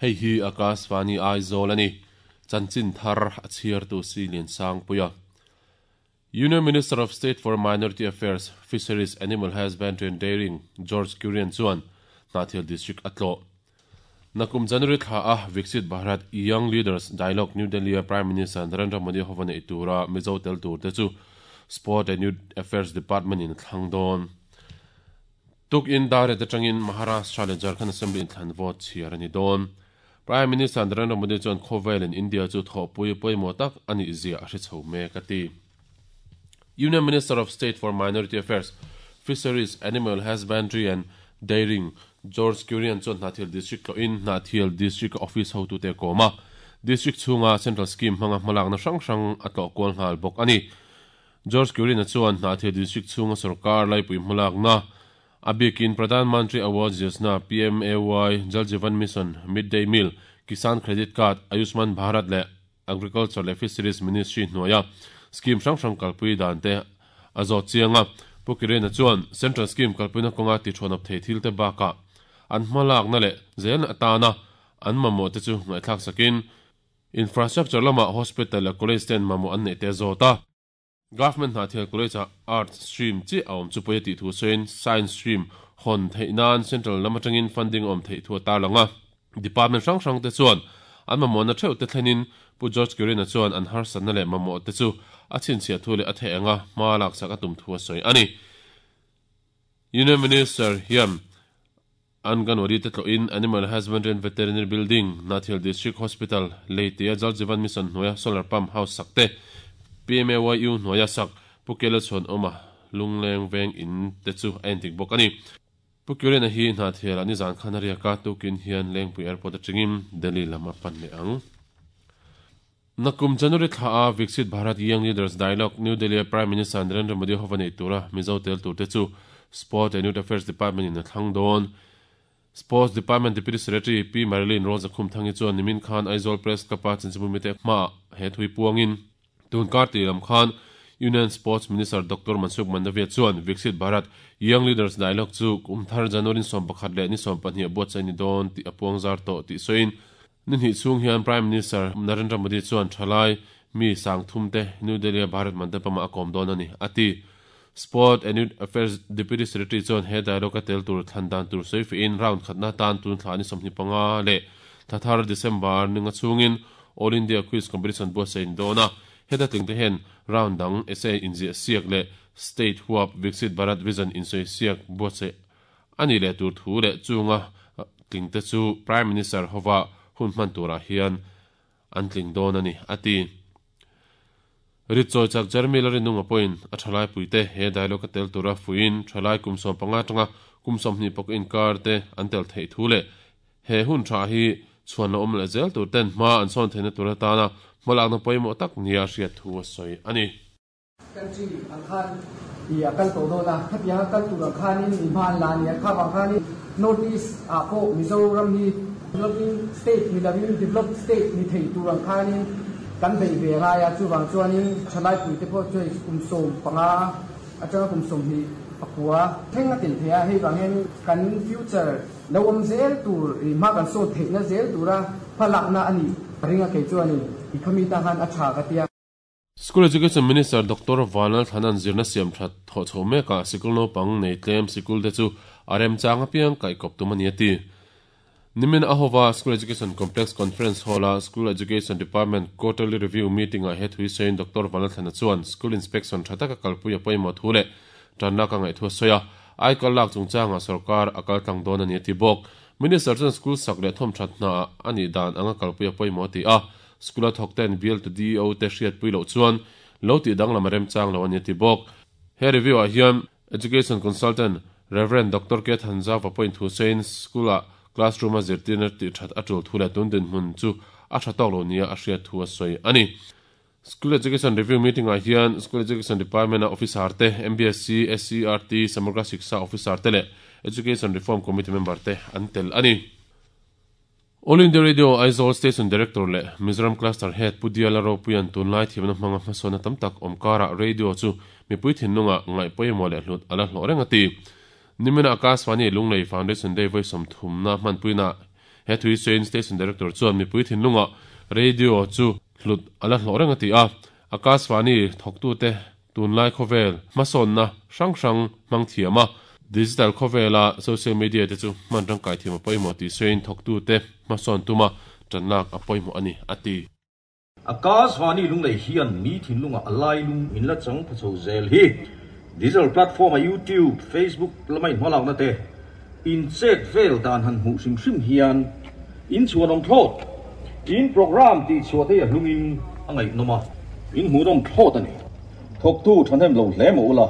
Hei hi Akashvani Aizawl a ni. Chanchin thar a chhiartu si Liansangpuia. Union Minister of State for Minority Affairs, Fisheries, Animal Husbandry and Dairying, George Kurian chuan Hnahthial District a tlawh. Nakum January thla a Viksit Bharat Young Leaders Dialogue New Delhi a Prime Minister Narendra Modi hova neih tura Mizo tel tur te chu Sport and Youth Affairs Department in a thlang dawn. Tukin Daret atangin Maharashtra leh Jharkhand Assembly inthlan vote chhiar a ni dawn. Prime Minister Narendra Modi chuan khawvelin India chu thawhpui pawimawh tak a nih zia a hre chho mek a ti. Union Minister of State for Minority Affairs, Fisheries, Animal Husbandry and Dairying, George Kurian chuan Hnahthial District tlawhin Hnahthial District Office hotute a kawm a, District chhunga Central Scheme hmanga hmalakna hrang hrang a tlawh kual nghal bawk a ni. George Kurian-a chuan Hnahthial District chhunga sorkar laipui hmalakna, a bikin Pradhan Mantri Awas Yojana, PMAY, Jal Jeevan Mission, Mid Day Meal, Kisan Credit Card, Ayushman Bharat leh Agriculture leh Fisheries Ministry hnuaia scheme hrang hrang kalpui dan te a zawt chiang a. Pu Kirena chuan Central Scheme kalpuina kawnga tithuanawp thei thil te bakah an hmalakna leh zelna atana an mamawh te chu ngaihthlak sakin Infrastructure lamah Hospital leh College ten mamawh an neih te a zawt a. Government Hnahthial College-ah Arts stream chiah a awm chu pawi a tih thu sawiin Science stream hawn theih nan Central lam atangin funding a awm theih thu a tarlang a. Department hrang hrang te chuan an mamawhna theuh te thlenin Pu George Kirina chuan an harsatna leh mamawh te chu a chhinchhiah thu leh a theih anga hma laksak a tum thu a sawi a ni. Union Minister hian Anganwadi te tlawhin Animal Husbandry and Veterinary Building, Hnahthial District Hospital, Leitea Jal Jeevan Mission hnuaia Solar Pump House sak te, PMAYU hnuaia sak Pu Kela Chhuanawma Lungleng Veng In te chu a endik bawk a ni. Pu Kiren-a hi Hnahthialah nizan khan a riak a, tukin hian Lengpui Airport atangin Delhi lam a pan leh ang. Nakum January thla a Viksit Bharat Young Leaders Dialogue, New Delhi a Prime Minister Narendra Modi hova neih tura Mizo tel turte chu Sport and Youth Affairs Department in a thlang dawn. Sports Department Deputy Secretary Pi Marilyn Rawlzakhumthangi chuan nimin khan Aizawl Press Club a chanchinbumite hmaah he thui puangin tun kar tih lam khan Union Sports Minister Doctor Mansukh Mandaviya chuan Viksit Bharat Young Leaders Dialogue chu kum thar January ni 11 leh ni 20 a buatsaih ni dawn tih a puangzar tawh tih sawiin Ni hnih chhung hian Prime Minister Narendra Modi chuan thalai mi sangthum te New Delhi-a Bharat Mandapam-ah a kawm dawn a ni, a ti. Sport and Youth Affairs Deputy Secretary chuan he dialogue-a tel tur thlan dan tur sawi fihin round khatna tan tun thla ni 25 leh thla thar December ninga chhungin All India Quiz Competition buatsaih a ni dawn a. Heta tling te hian round dang essay inziah siak leh State huap Viksit Bharat Vision insawi siak buatsaih A nih leh tur thu leh chunga tling te chu Prime Minister hova hun hman turah hian an tling dawn a ni, a ti. Ritchawi chak Jeremy Larinunga pawhin a thalai puite he dialogue a tel tura fuiin thalai kum 15 atanga kum 20 pawk inkar te an tel theih thu leh he hun tha hi chhuan la awm leh zel tur ten hma an sawn theihna tur atana hmalakna pawimawh tak nia a hriat thu a sawi a ni. Country ang khan i a kal tawh dawn a, hetiang a kal tur ang khanin i hma an la a ni a, kha vang khanin North East ah pawh Mizoram hi developing state ni lovin developed state ni thei tur ang khanin kan beih ve ngai a, chuvang chuanin thalai puite pawh chu hei kum 15 atanga kum 24 thleng a tel thei a, hei vang hian kan future lo awm zel tur i hma kan sawn theihna zel tura hmalakna a nih ka ring a, kei chuanin i khami tan khan a tha ka ti a. School Education Minister Doctor Vanlal Thana'n zirna siam that thawh chho mekah sikul naupang nei tlem sikul te chu a remchang apiang kaihkawp tum a ni a ti. Nimin a hova School Education Complex Conference Hall-a School Education Department Quarterly Review Meeting-ah he thui sawiin Doctor Vanlal Thana chuan School Inspection tha taka kalpui a pawimawh thu leh tanlak a ngaih thu a sawi a, aikal lak chungchangah sorkar a kal tlang dawn a ni a ti bawk. Minister chuan school sak leh thawmthat hnaah a nih dan anga kalpui a pawimawh a ti a, School a thawk ten bial tu DEO te hriatpui loh chuan lo tih danglam a remchang lo a ni a ti bawk. He review ah hian Education Consultant Rev. Doctor K Thanzauva pawhin thu sawiin school ah classroom a zirtirna tih that a tul thu leh tun dinhmun chu a tha tawk lo nia a hriat thu a sawi a ni. School Education Review Meeting ah hian School Education Department a officer te, MBSC, SCERT, Samagra Shiksha officer te leh Education Reform Committee member te an tel a ni. All India Radio Aizawl Station Director leh Mizoram Cluster Head Pu Diala Ropuia'n tunlai thiamna hmanga hmasawnna tam tak awm karah radio chu mipui thinlungah ngaih pawimawh leh hlut a la hlawh reng a ti. Nimina Akashvani Lunglei Foundation Day vawi 30 na hmanpuinaah He thui sawiin Station Director chuan mipui thinlungah Radio chu hlut a la hlawh reng a ti a. Akashvani thawktute tunlai khawvel hmasawnna hrang hrang hmang thiam a, digital khawvela social media te chu hman rangkai thiam a pawimawh tih sawiin thawktute hmasawn tuma tanlak a pawimawh a ni, a ti. Akashvani Lunglei hian mi thinlungah a lailung in la chang pha chho zel hi digital platform a YouTube, Facebook lama inhmalakna te in chet vel dan han hmuh hrim hrim hian in chhuanawm thlawt. In program tih chhuah te hi a hlungin a ngaihnawm a, in hmuhnawm thlawt a ni. Thawktu thahnem lo hle maw ula,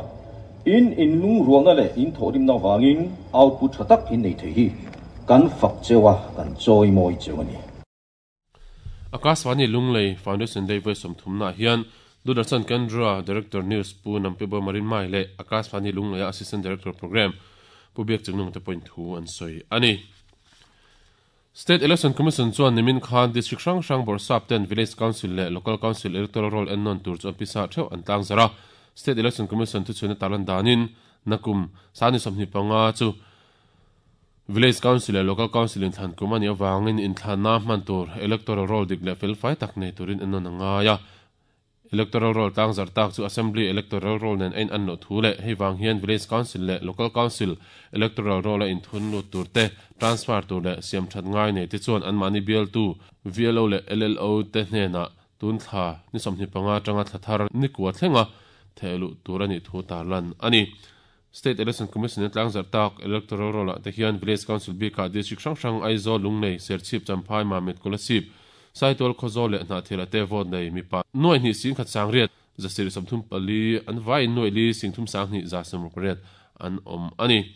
in inlungrualna leh in thawhrimna avangin output tha tak in nei thei hi kan fak cheu a, kan chawimawi cheu a ni. Akashvani Lunglei Foundation Day vawi sawmthumnaah hian Doordarshan Kendra Director News Pu Nampibo Marinmai leh Akashvani Lungleia Assistant Director Programme Pu Biak Chingnung te pawhin thu an sawi a ni. State Election Commission chuan nimin khan District hrang hrang bawrhsap ten Village Council leh Local Council Electoral Roll ennawn tur chu an pisa theuh an tlangzarh a. State Election Commission thuchhuina tarlan danin nakum sani 25 chu Village Council leh Local Council inthlan kum a nih avangin inthlanna hman tur Electoral Roll dik leh felfai tak nei turin ennawn a ngai a. Electoral Roll tlangzarh tak chu Assembly Electoral Roll nen a in-an loh thu leh hei vang hian Village Council leh Local Council Electoral Roll a inthun lut tur te, transfer tur leh siam that ngai nei te chuan anmahni bialtu VLO leh LLO te hnenah tun thla ni 25 atanga thla thar ni kua thlenga theh luh tur a nih thu tarlan a ni. State Election Commission in tlangzarh tak Electoral Roll ah te hian Village Council bikah District hrang hrang Aizawl, Lunglei, Serchhip, Champhai, Mamit, Kolasib, Saitual, Khawzawl leh Hnahthial ah te vote nei mipa nuai hnih singkhat sangriat zasirih 34 an vaiin nuai li singthum sanghnih za 68 an awm a ni.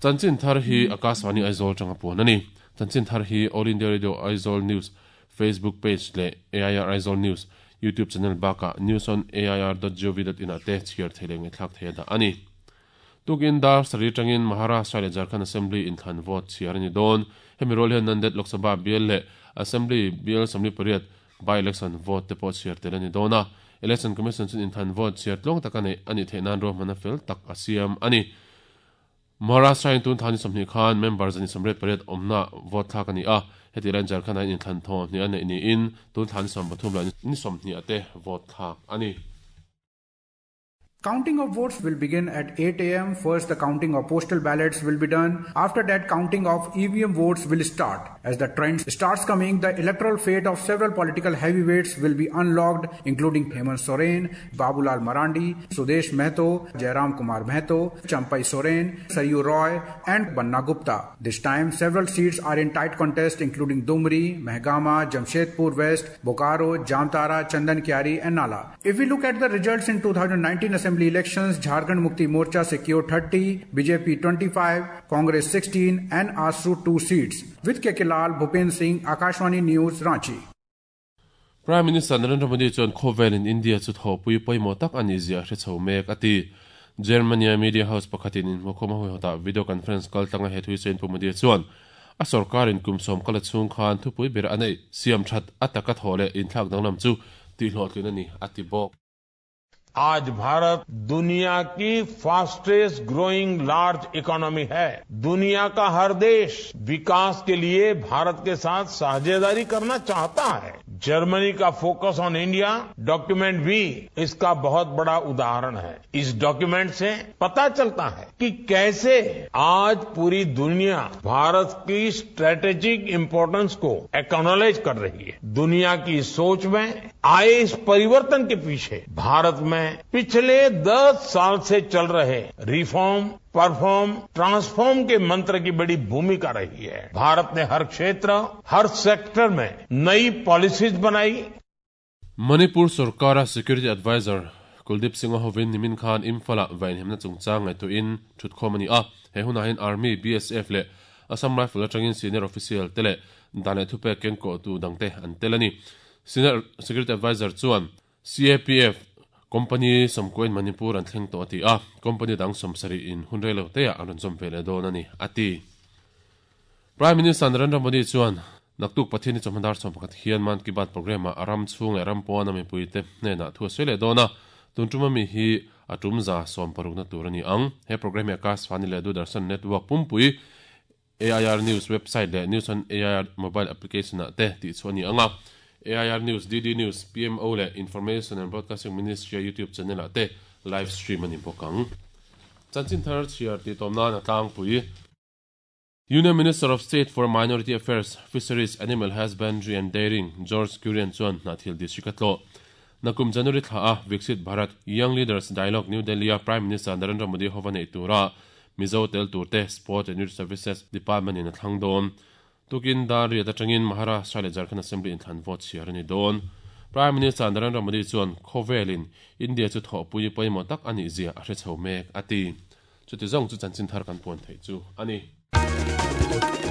Chanchin thar hi Akashvani Aizawl tanga puan a ni. Chanchin thar hi All India Radio Aizawl News Facebook page leh AIR Aizawl News YouTube channel bakah newsonair.gov.in ah te chhiar thei leh ngaihthlak thei a dah a ni. Tukin dar sarih atangin Maharashtra leh Jharkhand Assembly inthlan vote chhiar a ni dawn. Hemi rual hian Nanded Lok Sabha bial leh Assembly bial 48 by-election vote te pawh chhiar tel a ni dawn a. Election Commission chuan inthlan vote chhiar tluang taka neih a nih theih nan ruahmanna fel tak a siam a ni. Maharashtra in tun thla ni 20 khan member zani 88 awmna vote thlak a ni a, heti laiin Jharkhand ah hian inthlan thaw hnih a neih niin tun thla ni 30 leh ni 20 ah te vote thlak a ni. Counting of votes will begin at 8 am. First, the counting of postal ballots will be done. After that, counting of EVM votes will start. As the trend starts coming, the electoral fate of several political heavyweights will be unlocked, including Hemant Soren, Babulal Marandi, Sudesh Mehto, Jairam Kumar Mehto, Champai Soren, Saryu Roy, and Banna Gupta. This time, several seats are in tight contest, including Dumri, Mehgama, Jamshedpur West, Bokaro, Jamtara, Chandan Kyari, and Nala. If we look at the results in 2019 Assembly elections, Jharkhand Mukti Morcha secured 30, BJP 25, Congress 16, and ASU 2 seats. With KK Lal, Bhupen Singh, Akashwani News, Ranchi. Prime Minister Narendra Modi chuan khawvelin India chu thawhpui pawimawh tak a nih zia a hre chho mek a ti. Germany-a media house pakhatin inhmukhawm a huihawtah video conference kal tlanga he thui sawiin Pu Modi chuan a sorkarin kum sawm kal a chhung khan thupui ber a neih siam that a taka thawh leh inthlak danglam chu tihhlawhtlin a ni a ti bawk. आज भारत दुनिया की fastest growing large economy है। दुनिया का हर देश विकास के लिए भारत के साथ साझेदारी करना चाहता है। जर्मनी का focus on India document भी इसका बहुत बड़ा उदाहरण है। इस डॉक्यूमेंट से पता चलता है कि कैसे आज पूरी दुनिया भारत की स्ट्रेटेजिक इंपोर्टेंस को एक्नॉलेज कर रही है। दुनिया की सोच में आए इस परिवर्तन के पीछे भारत में पिछले 10 साल से चल रहे reform, perform, transform के मंत्र की बड़ी भूमिका रही है। भारत ने हर क्षेत्र, हर सेक्टर में नई पॉलिसीज बनाई। Manipur sorkara Security Advisor Kuldeep Singh-a hovin nimin khan Imphal-ah vainhemna chungchang ngaihtuahin thutkhawm a ni a. He hunah hian Army, BSF leh Assam Rifle atangin senior official te leh dan leh thupek kengkawhtu dangte an tel a ni. Senior Security Advisor chuan CAPF company sawmkuain Manipur an thleng tawh a ti a, company dang 70 in hun rei lo teah an rawn zawm ve leh dawn a ni, a ti. Prime Minister Narendra Modi chuan naktuk Pathian hi chawhma dar 11 hian Mann Ki Baat programme-ah a ram chhung leh ram pawn a mipuite hnenah thu a sawi leh dawn a, tun tuma mi hi a tum za 60 na tur a ni ang. He programme hi Akashvani leh Doordarshan network pumpui AIR News website leh News on AIR mobile application ah te tih chhuah a ni ang a. AIR News, DD News, PMO leh Information and Broadcasting Ministry a YouTube channel ah te live stream a ni bawk ang. Chanchin thar chhiar tih tawm nan a tlangpui. Union Minister of State for Minority Affairs, Fisheries, Animal Husbandry and Dairying, George Kurian chuan Hnathil District a tlawh. Nakum January thla a Viksit Bharat Young Leaders Dialogue New Delhi-a Prime Minister Narendra Modi hova neih tura Mizo tel turte Sport and Youth Services Department in a thlang dawn. Tukin dar riat atangin Maharashtra leh Jharkhand Assembly inthlan vote chhiar a ni dawn. Prime Minister Narendra Modi chuan khawvelin India chu thawhpui pawimawh tak a nih zia a hre chho mek a ti. Chuti zawng chu chanchin thar kan puan theih chu a ni.